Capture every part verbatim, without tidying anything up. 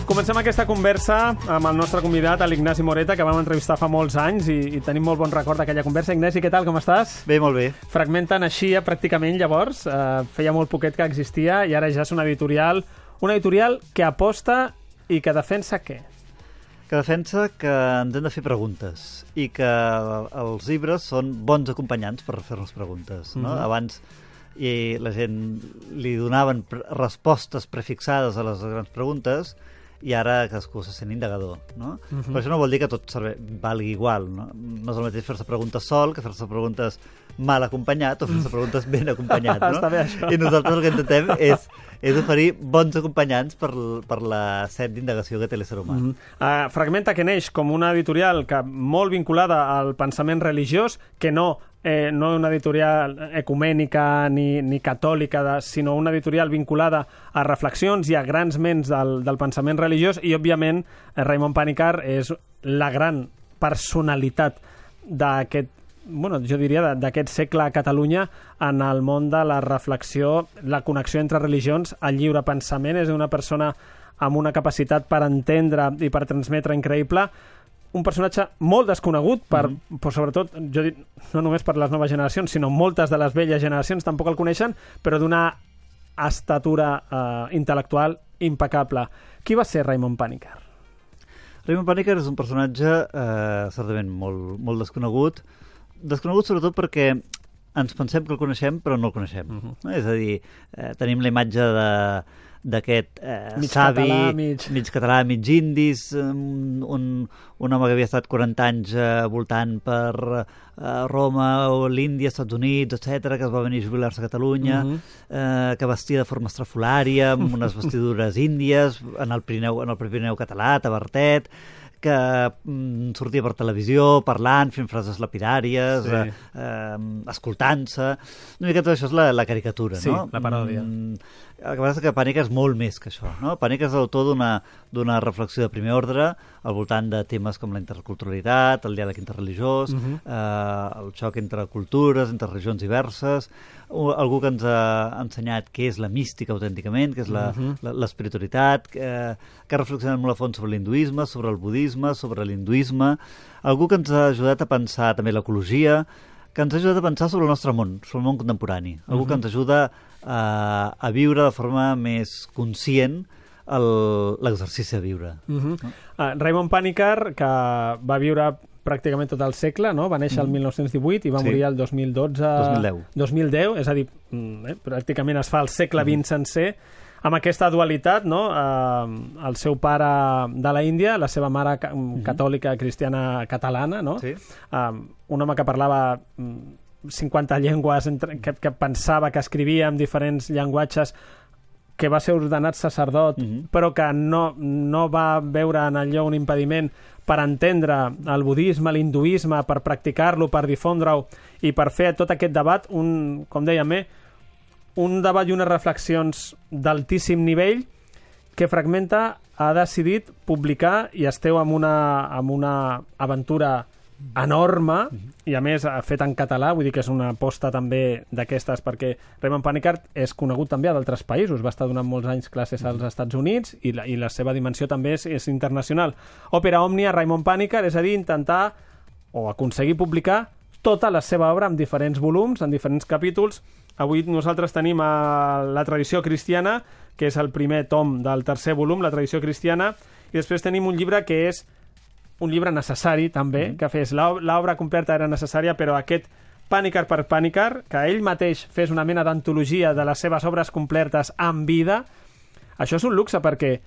Comencem aquesta conversa amb el nostre convidat, l'Ignasi Moreta, que vam entrevistar fa molts anys i, i tenim molt bon record d'aquella conversa. Ignasi, què tal, com estàs? Bé, molt bé. Fragmenta naixia pràcticament llavors, eh, feia molt poquet que existia i ara ja és una editorial, una editorial que aposta i que defensa què? Que defensa que ens hem de fer preguntes i que els llibres són bons acompanyants per fer-nos preguntes. No? Mm-hmm. Abans i la gent li donaven respostes prefixades a les grans preguntes i ara cadascú se sent indagador, no? Uh-huh. Però això no vol dir que tot serve, valgui igual, no? No és el mateix fer-se preguntes sol que fer-se preguntes mal acompanyat o fer-se preguntes ben acompanyat, no? Està bé, això. I nosaltres el que intentem és, és oferir bons acompanyants per, per la set d'indagació que té l'ésser humà. Uh-huh. uh, Fragmenta, que neix com una editorial que molt vinculada al pensament religiós, que no Eh, no una editorial ecumènica ni, ni catòlica, de, sinó una editorial vinculada a reflexions i a grans ments del, del pensament religiós, i, òbviament, eh, Raimon Panikkar és la gran personalitat d'aquest, bueno, jo diria, d'aquest segle a Catalunya en el món de la reflexió, la connexió entre religions, el lliure pensament. És una persona amb una capacitat per entendre i per transmetre increïble, un personatge molt desconegut, per, mm-hmm. per sobretot, jo dic, no només per les noves generacions, sinó moltes de les velles generacions tampoc el coneixen, però d'una estatura eh, intel·lectual impecable. Qui va ser Raimon Panikkar? Raimon Panikkar és un personatge eh, certament molt, molt desconegut, desconegut sobretot perquè ens pensem que el coneixem però no el coneixem. Mm-hmm. No? És a dir, eh, tenim la imatge de d'aquest eh, mig savi, català, mig... mig català, mig indis, un, un, un home que havia estat quaranta anys eh, voltant per eh, Roma o l'Índia, Estats Units, etcètera, que es va venir a jubilar-se a Catalunya, uh-huh. eh, que vestia de forma estrafolària, amb unes vestidures índies, en el Pirineu, en el Pirineu català, tabartet, que mm, sortia per televisió, parlant, fent frases lapidàries, sí. eh, eh, escoltant-se. Una mica tot això és la, la caricatura, sí, no? Sí, la paròdia. Mm, el que passa és que Panikkar és molt més que això, no? Panikkar és l'autor d'una d'una reflexió de primer ordre al voltant de temes com la interculturalitat, el diàleg interreligiós, uh-huh. eh, el xoc entre cultures, entre regions diverses, algú que ens ha ensenyat què és la mística autènticament, què és la, uh-huh. la, l'espiritualitat, que, que ha reflexionat molt a fons sobre l'hinduisme, sobre el budisme, sobre l'hinduisme, algú que ens ha ajudat a pensar també l'ecologia, que ens ha ajudat a pensar sobre el nostre món, sobre el món contemporani, algú uh-huh. que ens ajuda a, a viure de forma més conscient l'exercici de viure. Uh-huh. No? Uh, Raimon Panikkar, que va viure pràcticament tot el segle, no? Va néixer el mil nou-cents divuit i va sí. morir el dos mil dotze... dos mil deu. dos mil deu, és a dir, eh, pràcticament es fa el segle vint sencer, amb aquesta dualitat, no? Eh, el seu pare de la Índia, la seva mare ca catòlica cristiana catalana, no? Sí. Eh, un home que parlava cinquanta llengües, entre, que, que pensava, que escrivia en diferents llenguatges, que va ser ordenat sacerdot, uh-huh. però que no, no va veure en allò un impediment per entendre el budisme, l'hinduisme, per practicar-lo, per difondre-ho i per fer tot aquest debat, un, com dèiem, eh, un debat i unes reflexions d'altíssim nivell que Fragmenta ha decidit publicar i esteu amb una, amb una aventura enorme i a més fet en català, vull dir que és una aposta també d'aquestes, perquè Raimon Panikkar és conegut també a d'altres països, va estar donant molts anys classes als Estats Units i la, i la seva dimensió també és, és internacional. Òpera Òmnia, Raimon Panikkar, és a dir, intentar o aconseguir publicar tota la seva obra en diferents volums, en diferents capítols. Avui nosaltres tenim a la tradició cristiana, que és el primer tom del tercer volum, la tradició cristiana, i després tenim un llibre que és un llibre necessari també, mm. que fes l'obra completa era necessària, però aquest Panikkar per Panikkar, que ell mateix fes una mena d'antologia de les seves obres completes en vida, això és un luxe perquè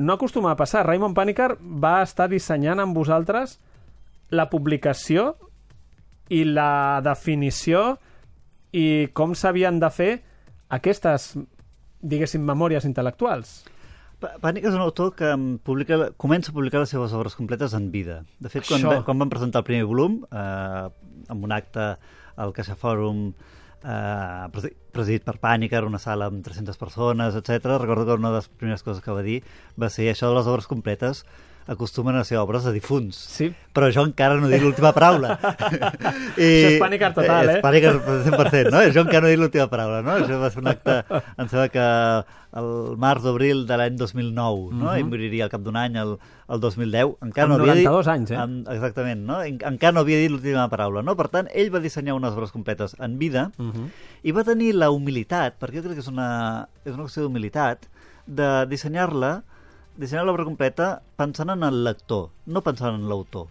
no acostuma a passar. Raimon Panikkar va estar dissenyant amb vosaltres la publicació i la definició i com s'havien de fer aquestes, diguéssim, memòries intel·lectuals. Panikkar és un autor que publica, comença a publicar les seves obres completes en vida. De fet, quan, quan van presentar el primer volum, eh, amb un acte al Caixa Fòrum eh, presidit per Panikkar, una sala amb tres-centes persones, etcètera, recordo que una de les primeres coses que va dir va ser això de les obres completes acostumen a ser obres de difunts. Sí. Però jo encara no he dit l'última paraula. I... Això és Pàniker total, eh? És Pàniker cent per cent, no? Jo encara no he dit l'última paraula, no? Això va ser un acte, em sembla que el març d'abril de l'any dos mil nou, no? Uh-huh. I moriria al cap d'un any, el, el dos mil deu. Encara amb no havia noranta-dos dit... anys, eh? Amb, exactament, no? En, encara no havia dit l'última paraula, no? Per tant, ell va dissenyar unes obres completes en vida uh-huh. i va tenir la humilitat, perquè jo crec que és una, és una qüestió d'humilitat, de dissenyar-la dissenyar l'obra completa pensant en el lector, no pensant en l'autor.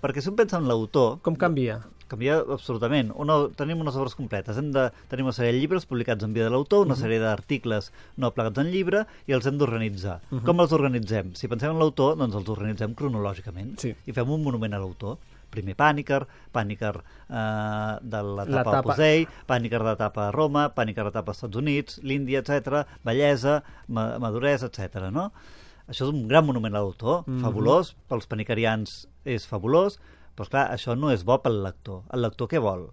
Perquè si un pensa en l'autor... Com canvia? Canvia absolutament. Una, tenim unes obres completes. Hem de tenir una sèrie de llibres publicats en vida de l'autor, una uh-huh. sèrie d'articles no plegats en llibre, i els hem d'organitzar. Uh-huh. Com els organitzem? Si pensem en l'autor, doncs els organitzem cronològicament. Sí. I fem un monument a l'autor. Primer Pàniker, Pàniker eh, de l'etapa Opus Dei, Pàniker de l'etapa Roma, Pàniker de l'etapa Estats Units, l'Índia, etcètera, bellesa, ma maduresa, etcètera, no? Això és un gran monument a l'autor, mm-hmm. fabulós, pels panicarians és fabulós, però esclar, això no és bo pel lector. El lector què vol?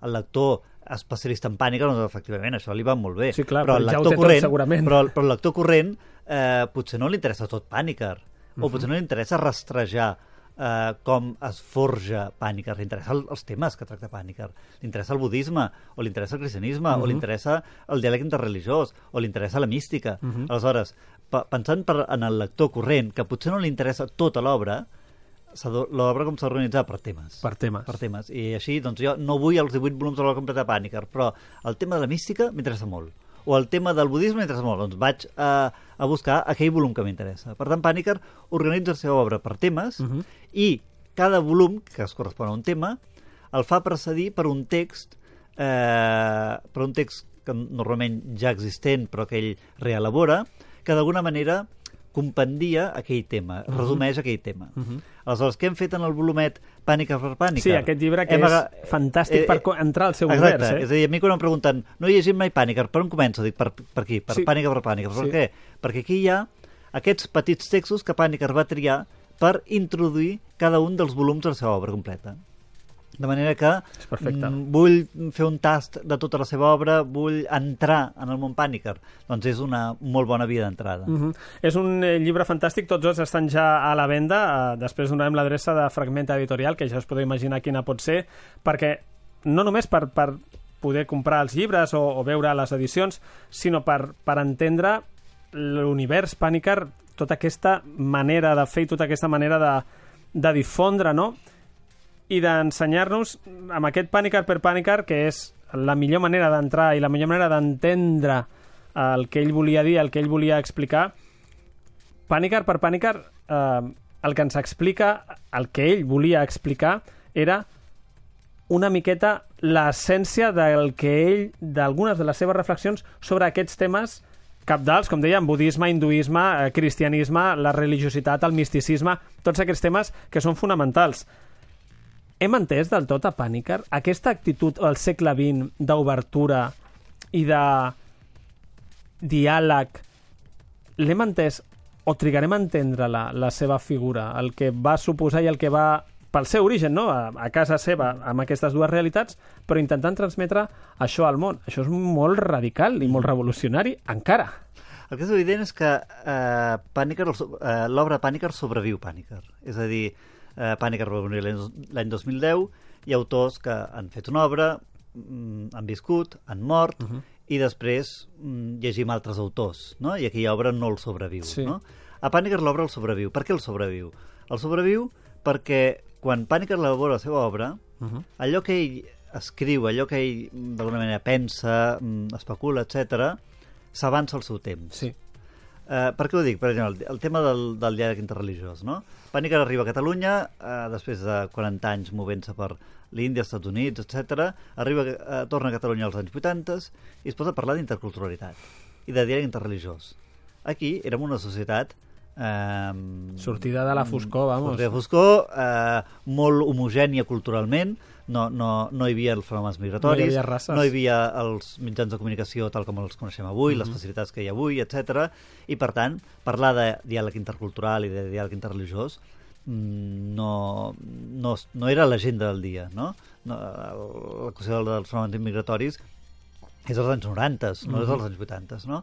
El lector especialista en pànica, doncs efectivament, això li va molt bé. Sí, clar, però, però el ja lector ho té corrent, tot, segurament. Però, però el lector corrent eh, potser no li interessa tot Pàniker, mm-hmm. o potser no li interessa rastrejar eh, com es forja Pàniker, li interessa el, els temes que tracta Pàniker, li interessa el budisme, o li interessa el cristianisme, mm-hmm. o li interessa el diàleg interreligiós, o li interessa la mística. Mm-hmm. Aleshores, pensant per, en el lector corrent, que potser no li interessa tota l'obra, l'obra com s'ha organitzat per temes. Per temes. Per temes. I així, doncs jo no vull els divuit volums de l'obra completa de Pàniker, però el tema de la mística m'interessa molt. O el tema del budisme m'interessa molt. Doncs vaig a, a buscar aquell volum que m'interessa. Per tant, Pàniker organitza la seva obra per temes uh-huh. i cada volum, que es correspon a un tema, el fa precedir per un text eh, per un text que normalment ja existent, però que ell reelabora, que d'alguna manera compendia aquell tema, uh-huh. resumeix aquell tema. Uh-huh. Aleshores, què hem fet en el volumet Pàniker per Pàniker? Sí, aquest llibre que hem és aga... fantàstic eh, per entrar al seu exacte, univers. Eh? És a dir, a mi quan em pregunten no he llegit mai Pàniker, per on començo? Dic, per, per aquí, per sí. Pàniker per Pàniker. Per sí. què? Perquè aquí hi ha aquests petits textos que Pàniker va triar per introduir cada un dels volums de la seva obra completa. De manera que mm, vull fer un tast de tota la seva obra, vull entrar en el món Pàniker. Doncs és una molt bona via d'entrada. Uh-huh. És un eh, llibre fantàstic, tots dos estan ja a la venda. Uh, després donarem l'adreça de Fragment Editorial, que ja us podeu imaginar quina pot ser, perquè no només per, per poder comprar els llibres o, o veure les edicions, sinó per, per entendre l'univers Pàniker, tota aquesta manera de fer i tota aquesta manera de, de difondre, no?, i d'ensenyar-nos amb aquest Pàniker per Pàniker, que és la millor manera d'entrar i la millor manera d'entendre el que ell volia dir, el que ell volia explicar. Pàniker per Pàniker, eh, el que ens explica, el que ell volia explicar, era una miqueta l'essència del que ell, d'algunes de les seves reflexions sobre aquests temes cabdals, com dèiem, budisme, hinduisme, eh, cristianisme, la religiositat, el misticisme, tots aquests temes que són fonamentals. Hem entès del tot a Pàniker aquesta actitud al segle vint d'obertura i de diàleg? L'hem entès o trigarem a entendre la, la seva figura, el que va suposar i el que va, pel seu origen, no? a, a casa seva, amb aquestes dues realitats, però intentant transmetre això al món. Això és molt radical i molt revolucionari, encara. El que és evident és que eh, Pàniker, eh, l'obra Pàniker sobreviu Pàniker. És a dir, Uh, Pàniker va morir l'any dos mil deu, hi ha autors que han fet una obra, mm, han viscut, han mort, uh-huh. i després mm, llegim altres autors, no? I aquella obra no el sobreviu. Sí. No? A Pàniker l'obra el sobreviu. Per què el sobreviu? El sobreviu perquè quan Pàniker elabora la seva obra, uh-huh. allò que ell escriu, allò que ell d'alguna manera pensa, especula, etcètera, s'avança al seu temps. Sí. Uh, per què ho dic? Per exemple, el, el tema del, del diàleg interreligiós, no? Pàniker arriba a Catalunya, uh, després de quaranta anys movent-se per l'Índia, Estats Units, etcètera, arriba, uh, torna a Catalunya als anys vuitanta i es posa a parlar d'interculturalitat i de diàleg interreligiós. Aquí érem una societat eh, sortida de la foscor, vamos. Sortida de foscor, eh, molt homogènia culturalment, no, no, no hi havia els fenòmens migratoris, no hi havia races, no hi havia els mitjans de comunicació tal com els coneixem avui, mm-hmm. les facilitats que hi ha avui, etcètera. I per tant, parlar de diàleg intercultural i de diàleg interreligiós no, no, no era l'agenda del dia, no? no la qüestió dels fenòmens migratoris és als anys noranta, no mm-hmm. és als anys vuitanta, no?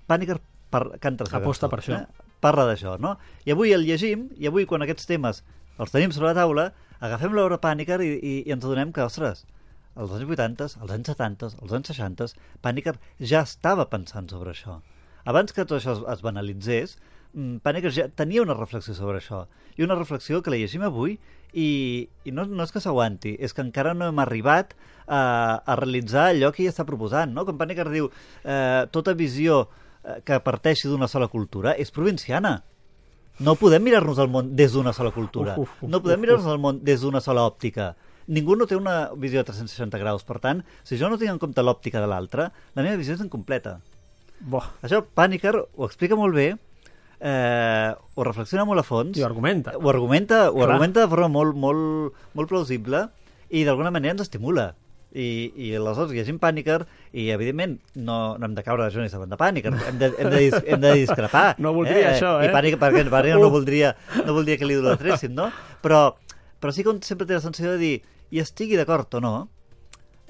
Pàniker per, canta aposta per això. Eh? parla d'això, no? I avui el llegim, i avui quan aquests temes els tenim sobre la taula, agafem l'obra Pàniker i, i, i ens adonem que, ostres, als anys vuitanta, als anys setanta, als anys seixanta, Pàniker ja estava pensant sobre això. Abans que tot això es, es banalitzés, Pàniker ja tenia una reflexió sobre això. I una reflexió que la llegim avui i, i no, no és que s'aguanti, és que encara no hem arribat a, a realitzar allò que ella està proposant, no? Com Pàniker diu, eh, tota visió que parteixi d'una sola cultura és provinciana. No podem mirar-nos el món des d'una sola cultura. Uf, uf, uf, no podem mirar-nos el món des d'una sola òptica. Ningú no té una visió de tres-cents seixanta graus. Per tant, si jo no tinc en compte l'òptica de l'altre, la meva visió és incompleta. Bo. Això Pàniker ho explica molt bé, eh, ho reflexiona molt a fons. I ho argumenta. Ho argumenta, ho argumenta de forma molt, molt, molt plausible i d'alguna manera ens estimula. I, i aleshores llegim Pàniker i evidentment no, no hem de caure de Jonis davant de Pàniker, hem de, hem de, hem de discrepar. No voldria eh? això, eh? I Pàniker, perquè Pàniker no voldria, no voldria que li idolatressin, no? Però, però sí que sempre té la sensació de dir, i estigui d'acord o no,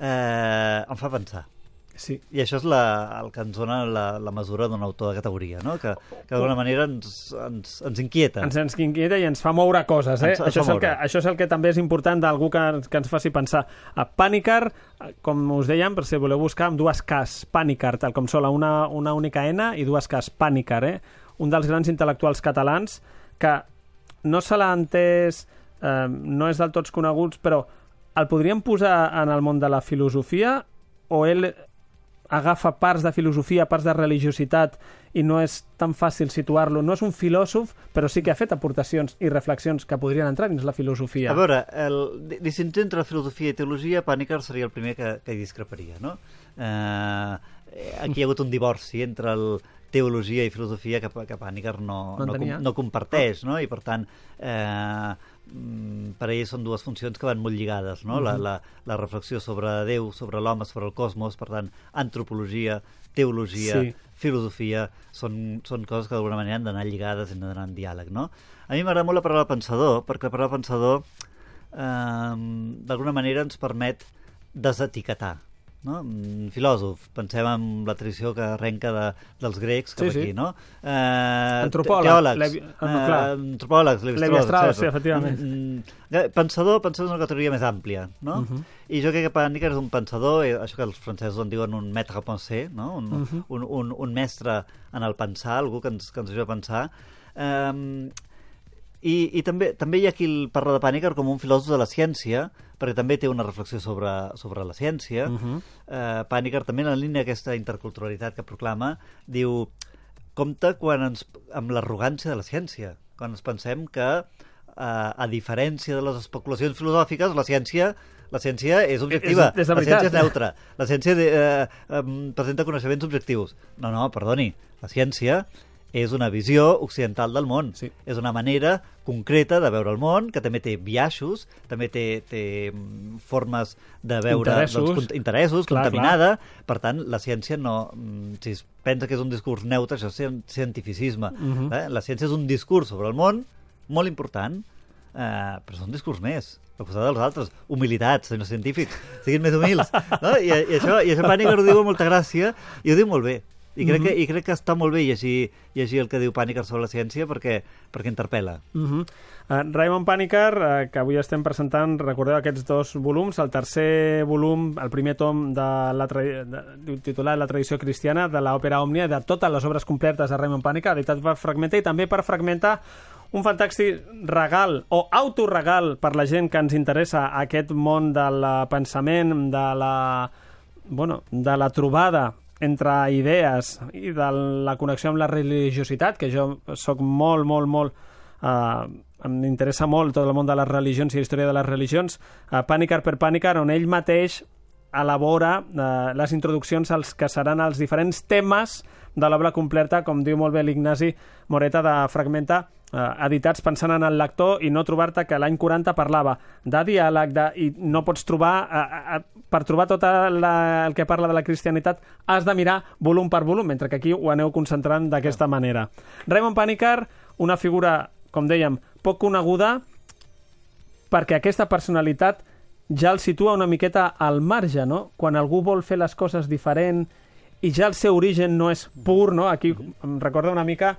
eh, em fa pensar. Sí. I això és la, el que ens dona la, la mesura d'un autor de categoria, no? Que, que d'alguna manera ens, ens, ens inquieta. Ens, ens inquieta i ens fa moure coses. Eh? Ens, ens això, és el moure. que, això és el que també és important d'algú que, que ens faci pensar. A Pàniker, com us dèiem, per si voleu buscar, amb dues Ks, Pàniker, tal com sola, una, una única N i dues Ks, Pàniker, eh? Un dels grans intel·lectuals catalans que no se l'ha entès, eh, no és del tots coneguts, però el podríem posar en el món de la filosofia o ell agafa parts de filosofia, parts de religiositat i no és tan fàcil situar-lo. No és un filòsof, però sí que ha fet aportacions i reflexions que podrien entrar dins la filosofia. A veure, el distinció entre filosofia i teologia, Pàniker seria el primer que, que hi discreparia, no? Eh, aquí hi ha hagut un divorci entre el teologia i filosofia que, que Pàniker no, no, no, no comparteix, no? I per tant, eh, per a ell són dues funcions que van molt lligades, no? Uh-huh. la, la, la reflexió sobre Déu, sobre l'home, sobre el cosmos, per tant, antropologia, teologia, sí. filosofia, són, són coses que d'alguna manera han d'anar lligades i han d'anar en diàleg, no? A mi m'agrada molt la paraula pensador, perquè la paraula pensador eh, d'alguna manera ens permet desetiquetar, no? Filòsof, pensem en la tradició que arrenca de, dels grecs cap sí, aquí, sí. no? Eh, Antropòleg, teòlegs, Levi... ah, no, eh, antropòlegs, Levi-Strauss, sí, efectivament. Mm, pensador, pensador és una categoria més àmplia, no? Uh-huh. I jo crec que Pàniker és un pensador, això que els francesos en diuen un maître à penser, no? Un, uh-huh. un, un, un mestre en el pensar, algú que ens, que ens ajuda a pensar. Eh, I, i també, també hi ha qui parla de Pàniker com un filòsof de la ciència, perquè també té una reflexió sobre, sobre la ciència. Uh-huh. eh, Pàniker també en la línia d'aquesta interculturalitat que proclama, diu, compte quan ens, amb l'arrogància de la ciència, quan ens pensem que eh, a diferència de les especulacions filosòfiques, la ciència la ciència és objectiva, és, és la ciència és neutra, la ciència de, eh, eh, presenta coneixements objectius. No, no, perdoni, la ciència és una visió occidental del món. Sí. És una manera concreta de veure el món, que també té biaixos, també té, té formes de veure interessos, doncs, interessos clar, contaminada. Clar. Per tant, la ciència no... Si es pensa que és un discurs neutre, això és cientificisme. Uh-huh. eh? La ciència és un discurs sobre el món molt important, eh, però és un discurs més. Al costat dels altres, humilitats, senyors científics, siguin més humils. No? I, i, això, i això Pàniker ho diu amb molta gràcia i ho diu molt bé. I crec, que, I crec que està molt bé llegir, llegir el que diu Pàniker sobre la ciència perquè, perquè interpel·la. Uh-huh. uh, Raymond Pàniker, uh, que avui estem presentant, recordeu aquests dos volums, el tercer volum, el primer tom de la tra... de, titulat La tradició cristiana, de l'òpera Òmnia, de totes les obres completes de Raymond Pàniker, editat per Fragmenta, i també per Fragmenta un fantàstic regal o autoregal per la gent que ens interessa aquest món del pensament, de la, bueno, de la trobada entre idees i de la connexió amb la religiositat, que jo sóc molt, molt, molt... Eh, em interessa molt tot el món de les religions i la història de les religions. Eh, Pàniker per Pàniker, on ell mateix elabora eh, les introduccions als que seran els diferents temes de l'obra completa, com diu molt bé l'Ignasi Moreta de Fragmenta, eh, editats pensant en el lector i no trobar-te que l'any quaranta parlava de diàleg, de, i no pots trobar... Eh, eh, per trobar tot la, el que parla de la cristianitat has de mirar volum per volum, mentre que aquí ho aneu concentrant d'aquesta manera. Raymond Pàniker, una figura, com dèiem, poc coneguda, perquè aquesta personalitat ja el situa una miqueta al marge, no? Quan algú vol fer les coses diferent i ja el seu origen no és pur, no? Aquí em recorda una mica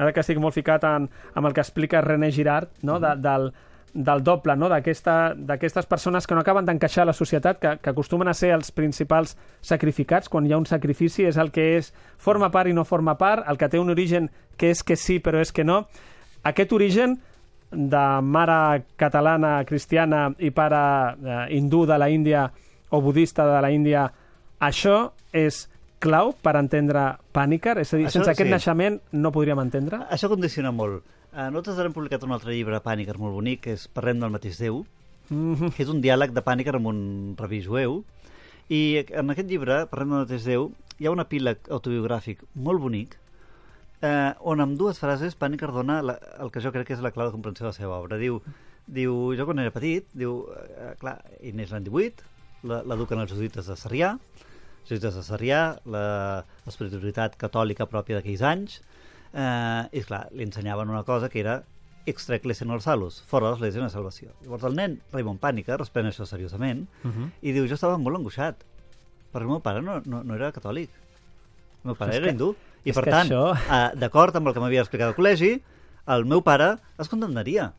ara que estic molt ficat en, amb el que explica René Girard, no? de, del, del doble, no? d'aquestes aquesta, persones que no acaben d'encaixar a la societat, que, que acostumen a ser els principals sacrificats. Quan hi ha un sacrifici és el que és forma part i no forma part, el que té un origen que és que sí però és que no. Aquest origen de mare catalana cristiana i pare eh, hindú de la Índia o budista de la Índia, això és clau per entendre Pàniker? És a dir, això, sense aquest sí. naixement no podríem entendre? Això condiciona molt. Uh, nosaltres hem publicat un altre llibre, Pàniker, molt bonic, que és Parlem del mateix Déu, mm-hmm. que és un diàleg de Pàniker amb un rabí jueu, i en aquest llibre, Parlem del mateix Déu, hi ha un epíleg autobiogràfic molt bonic, eh, on amb dues frases Pàniker dona la, el que jo crec que és la clau de comprensió de la seva obra. Diu, diu jo quan era petit, diu, eh, clar, ell neix l'any divuit, l'eduquen els jesuïtes de Sarrià, els jesuïtes de Sarrià, l'espiritualitat catòlica pròpia d'aquells anys, eh, i clar, li ensenyaven una cosa que era extra ecclesia nol salus, fora de l'església una salvació. Llavors el nen, Raymond Pàniker, es pren això seriosament, uh-huh. i diu, jo estava molt angoixat, perquè el meu pare no, no, no era catòlic, el meu pare era hindú, i per tant, això... eh, d'acord amb el que m'havia explicat al col·legi, el meu pare es condemnaria,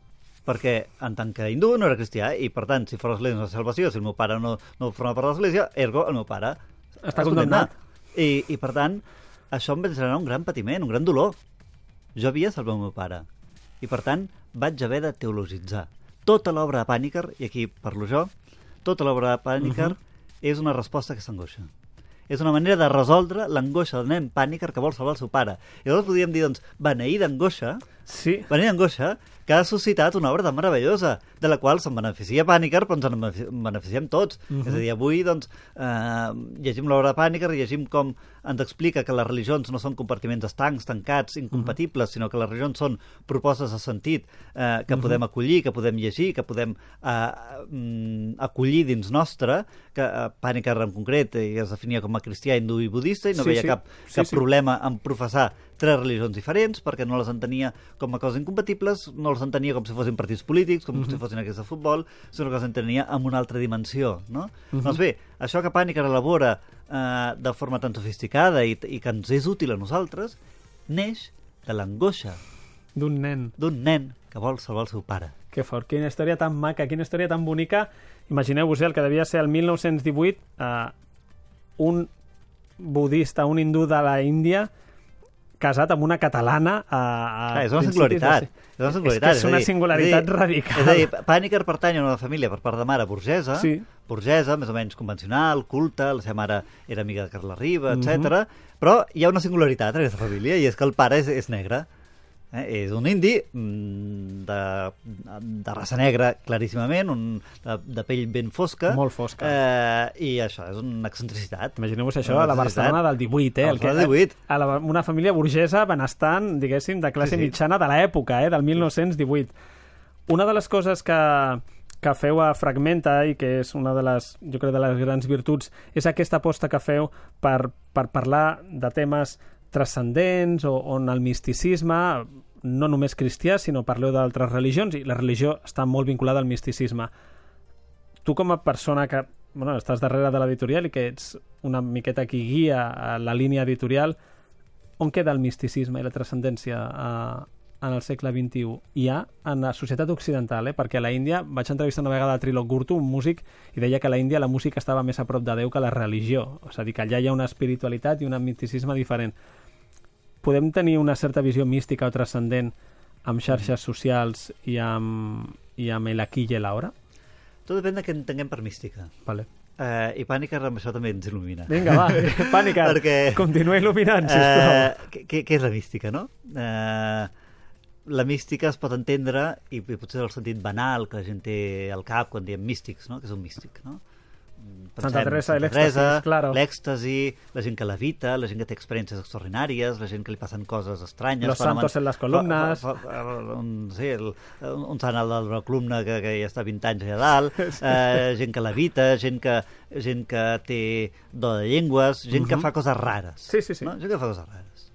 perquè en tant que hindú no era cristià, i per tant, si fora l'església una salvació, si el meu pare no, no forma part de l'església, ergo el meu pare està condemnat. I, I per tant, això em va generar un gran patiment, un gran dolor. Jo havia salvat el meu pare. I per tant, vaig haver de teologitzar. Tota l'obra de Pàniker, i aquí parlo jo, tota l'obra de Pàniker uh-huh. és una resposta a aquesta angoixa. És una manera de resoldre l'angoixa del nen Pàniker que vol salvar el seu pare. I llavors podríem dir, doncs, beneir d'angoixa, sí. beneir d'angoixa, que ha suscitat una obra tan meravellosa, de la qual se'n beneficia Pàniker, però ens en beneficiem tots. Uh-huh. És a dir, avui, doncs, eh, llegim l'obra de Pàniker, llegim com ens explica que les religions no són compartiments estancs, tancats, incompatibles, uh-huh. sinó que les religions són propostes de sentit eh, que uh-huh. podem acollir, que podem llegir, que podem eh, acollir dins nostre, que eh, Pàniker en concret eh, es definia com a cristià, hindú i budista, i no sí, veia sí. cap, cap sí, problema sí. en professar tres religions diferents, perquè no les entenia com a coses incompatibles, no les entenia com si fossin partits polítics, com uh-huh. si fossin aquests de futbol, sinó que les entenia en una altra dimensió, no? Uh-huh. Doncs bé, això que Pàniker elabora eh, de forma tan sofisticada i, i que ens és útil a nosaltres, neix de l'angoixa d'un nen. D'un nen que vol salvar el seu pare. Que fort, quina història tan maca, quina història tan bonica. Imagineu-vos, eh, el que devia ser el mil nou-cents divuit, eh, un budista, un hindú de la Índia, casat amb una catalana a, a ah, és una singularitat. De... És una singularitat. És que és una singularitat és dir, radical. És a dir, Pàniker pertany a una família per part de mare burgesa, sí. burgesa, més o menys convencional, culta, la seva mare era amiga de Carles Riba, etcètera. Mm-hmm. Però hi ha una singularitat en aquesta família, i és que el pare és, és negre. Eh? És un indi de, de raça negra, claríssimament, un, de, de pell ben fosca. Molt fosca. Eh, I això és una excentricitat. Imagineu-vos això a la Barcelona del divuit, eh? El que, divuit. A la, una família burgesa benestant, diguéssim, de classe sí, sí. mitjana de l'època, eh? Del mil nou-cents divuit. Una de les coses que, que feu a Fragmenta, i que és una de les, jo crec, de les grans virtuts, és aquesta aposta que feu per, per parlar de temes transcendents, o on el misticisme, no només cristià, sinó parleu d'altres religions, i la religió està molt vinculada al misticisme. Tu, com a persona que bueno, estàs darrere de l'editorial i que ets una miqueta qui guia a la línia editorial, on queda el misticisme i la transcendència a, en el segle vint-i-u? Hi ha en la societat occidental, eh? Perquè a la Índia vaig entrevistar una vegada a Trilok Gurtu, un músic, i deia que a la Índia la música estava més a prop de Déu que la religió. És a dir, que allà hi ha una espiritualitat i un misticisme diferent. Podem tenir una certa visió mística o transcendent amb xarxes socials i amb, i amb el aquí i l'ara? Tot depèn de què entenguem per mística. Vale. Uh, I Pàniker amb això també ens il·lumina. Vinga, va, Pàniker, Perquè, continua il·luminant, sisplau. Uh, què, què és la mística, no? Uh, la mística es pot entendre, i potser el sentit banal que la gent té al cap quan diem místics, no? Que és un místic, no? Pensem, Santa Teresa i l'èxtasis, claro. L'èxtasi, la gent que levita, la gent que té experiències extraordinàries, la gent que li passen coses estranyes. Los santos en les columnes. Fa, fa, fa, un, sí, el, un sant al dalt d'una columna que, que ja està vint anys allà dalt, sí. eh, gent que levita, gent que, gent que té do de llengües, gent uh-huh. que fa coses rares. Sí, sí, sí. No? Gent que fa coses rares.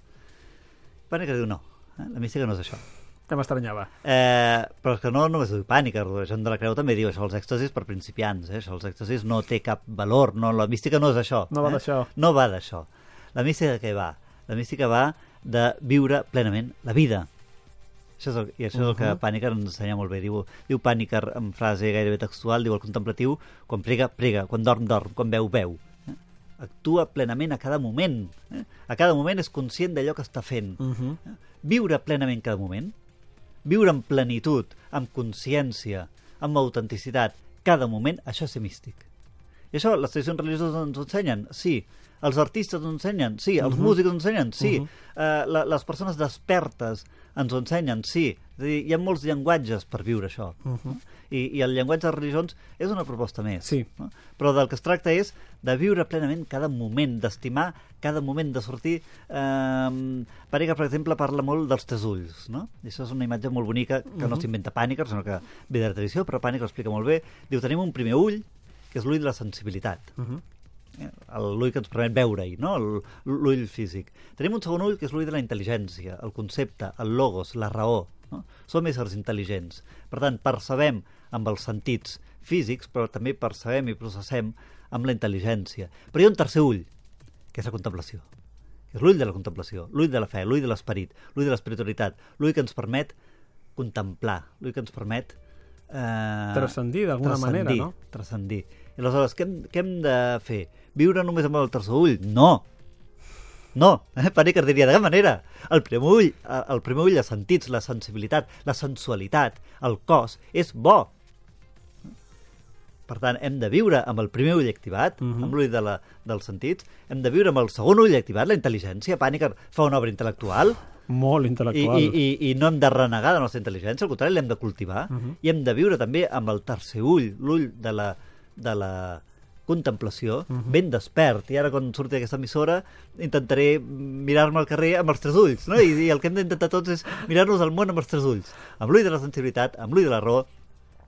Pàniker diu no, eh? La mística no és això. Que m'estranyava. Eh, però és que no només diu Pàniker, Joan de la Creu també diu això, els èxtasis per principiants, eh? Això, els èxtasis no té cap valor, no, la mística no és això. No va eh? d'això. No va d'això. La mística què va? La mística va de viure plenament la vida. Això és el, I això és el que Uh-huh. Pàniker ens ensenya molt bé. Diu, diu Pàniker en frase gairebé textual, diu el contemplatiu, quan prega, prega, quan dorm, dorm, quan veu, veu. Eh? Actua plenament a cada moment. Eh? A cada moment és conscient d'allò que està fent. Uh-huh. Eh? Viure plenament cada moment, viure amb plenitud, amb consciència, amb autenticitat, cada moment, això és ser místic. I això les tradicions religioses ens ho ensenyen? Sí. Els artistes ens ho ensenyen? Sí. Els uh-huh. músics ens ho ensenyen? Sí. Uh-huh. uh, la, les persones despertes ens ho ensenyen? Sí. És a dir, hi ha molts llenguatges per viure això. Uh-huh. I, I el llenguatge de religions és una proposta més. Sí. No? Però del que es tracta és de viure plenament cada moment, d'estimar cada moment, de sortir... Eh, Pàniker, per exemple, parla molt dels tres ulls, no? I això és una imatge molt bonica, que uh-huh. no s'inventa Pàniker, sinó que ve de la tradició, però Pàniker ho explica molt bé. Diu, tenim un primer ull, que és l'ull de la sensibilitat. Uh-huh. L'ull que ens permet veure-hi, no? L'ull físic. Tenim un segon ull, que és l'ull de la intel·ligència, el concepte, el logos, la raó. No? Som éssers intel·ligents. Per tant, percebem amb els sentits físics, però també percebem i processem amb la intel·ligència. Però hi ha un tercer ull, que és la contemplació. Que és l'ull de la contemplació, l'ull de la fe, l'ull de l'esperit, l'ull de l'espiritualitat, l'ull que ens permet contemplar, l'ull que ens permet Eh, transcendir d'alguna manera, no? Transcendir. I aleshores, què hem, què hem de fer? Viure només amb el tercer ull? No! No! Eh? Pàniker diria, de cap manera. El primer ull, el primer ull, els sentits, la sensibilitat, la sensualitat, el cos, és bo. Per tant, hem de viure amb el primer ull activat, uh-huh. amb l'ull de la, dels sentits, hem de viure amb el segon ull activat, la intel·ligència. Pàniker fa una obra intel·lectual, molt intel·lectual. I, i, i, i no hem de renegar de la nostra intel·ligència, al contrari, l'hem de cultivar. Uh-huh. I hem de viure també amb el tercer ull, l'ull de la, de la contemplació, uh-huh. ben despert. I ara, quan surti aquesta emissora, intentaré mirar-me al carrer amb els tres ulls, no? I, i el que hem d'intentar tots és mirar-nos al món amb els tres ulls. Amb l'ull de la sensibilitat, amb l'ull de la raó,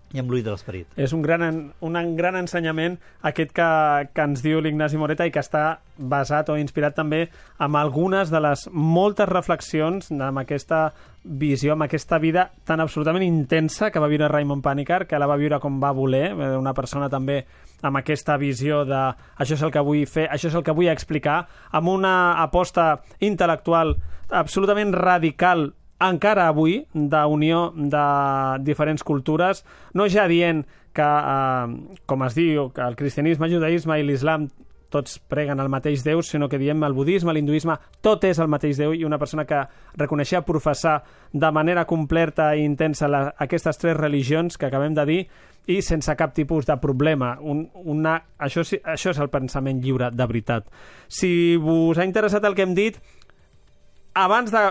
i amb l'ull de l'esperit. És un gran, un gran ensenyament aquest que, que ens diu l'Ignasi Moreta i que està basat o inspirat també amb algunes de les moltes reflexions amb aquesta visió, amb aquesta vida tan absolutament intensa que va viure Raymond Pàniker, que la va viure com va voler, una persona també amb aquesta visió de això és el que vull fer, això és el que vull explicar, amb una aposta intel·lectual absolutament radical encara avui, d'unió de diferents cultures, no ja dient que, eh, com es diu, que el cristianisme, el judaïsme i l'islam tots preguen el mateix Déu, sinó que diem el budisme, l'hinduisme, tot és el mateix Déu, i una persona que reconeixia professar de manera completa i intensa la, aquestes tres religions que acabem de dir, i sense cap tipus de problema. Un, una, això, això és el pensament lliure, de veritat. Si vos ha interessat el que hem dit, abans de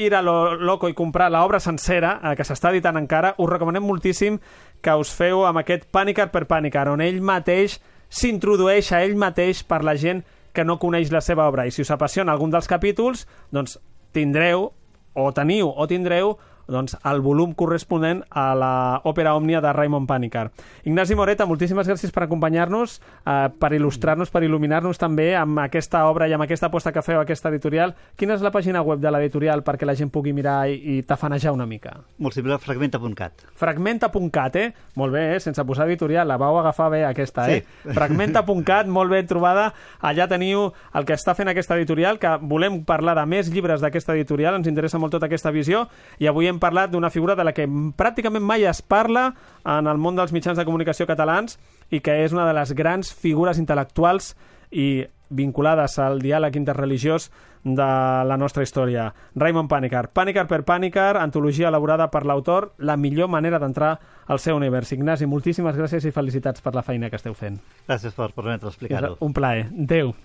ir a lo loco i comprar l'obra sencera, eh, que s'està editant encara, us recomanem moltíssim que us feu amb aquest Pàniker per Pàniker, on ell mateix s'introdueix a ell mateix per la gent que no coneix la seva obra. I si us apassiona algun dels capítols, doncs tindreu, o teniu, o tindreu, doncs, el volum corresponent a l'òpera Òmnia de Raymond Pàniker. Ignasi Moreta, moltíssimes gràcies per acompanyar-nos, eh, per il·lustrar-nos, per il·luminar-nos també amb aquesta obra i amb aquesta aposta que feu, aquesta editorial. Quina és la pàgina web de l'editorial perquè la gent pugui mirar i, i tafanejar una mica? Molt simple, fragmenta punt cat. Fragmenta punt cat, eh? Molt bé, eh? Sense posar editorial, la vau agafar bé aquesta, eh? Sí. Fragmenta punt cat, molt ben trobada. Allà teniu el que està fent aquesta editorial, que volem parlar de més llibres d'aquesta editorial, ens interessa molt tota aquesta visió, i avui hem parlat d'una figura de la que pràcticament mai es parla en el món dels mitjans de comunicació catalans i que és una de les grans figures intel·lectuals i vinculades al diàleg interreligiós de la nostra història. Raymond Pàniker. Pàniker per Pàniker, antologia elaborada per l'autor, la millor manera d'entrar al seu univers. Ignasi, moltíssimes gràcies i felicitats per la feina que esteu fent. Gràcies per permetre explicar-ho. Un plaer. Adéu.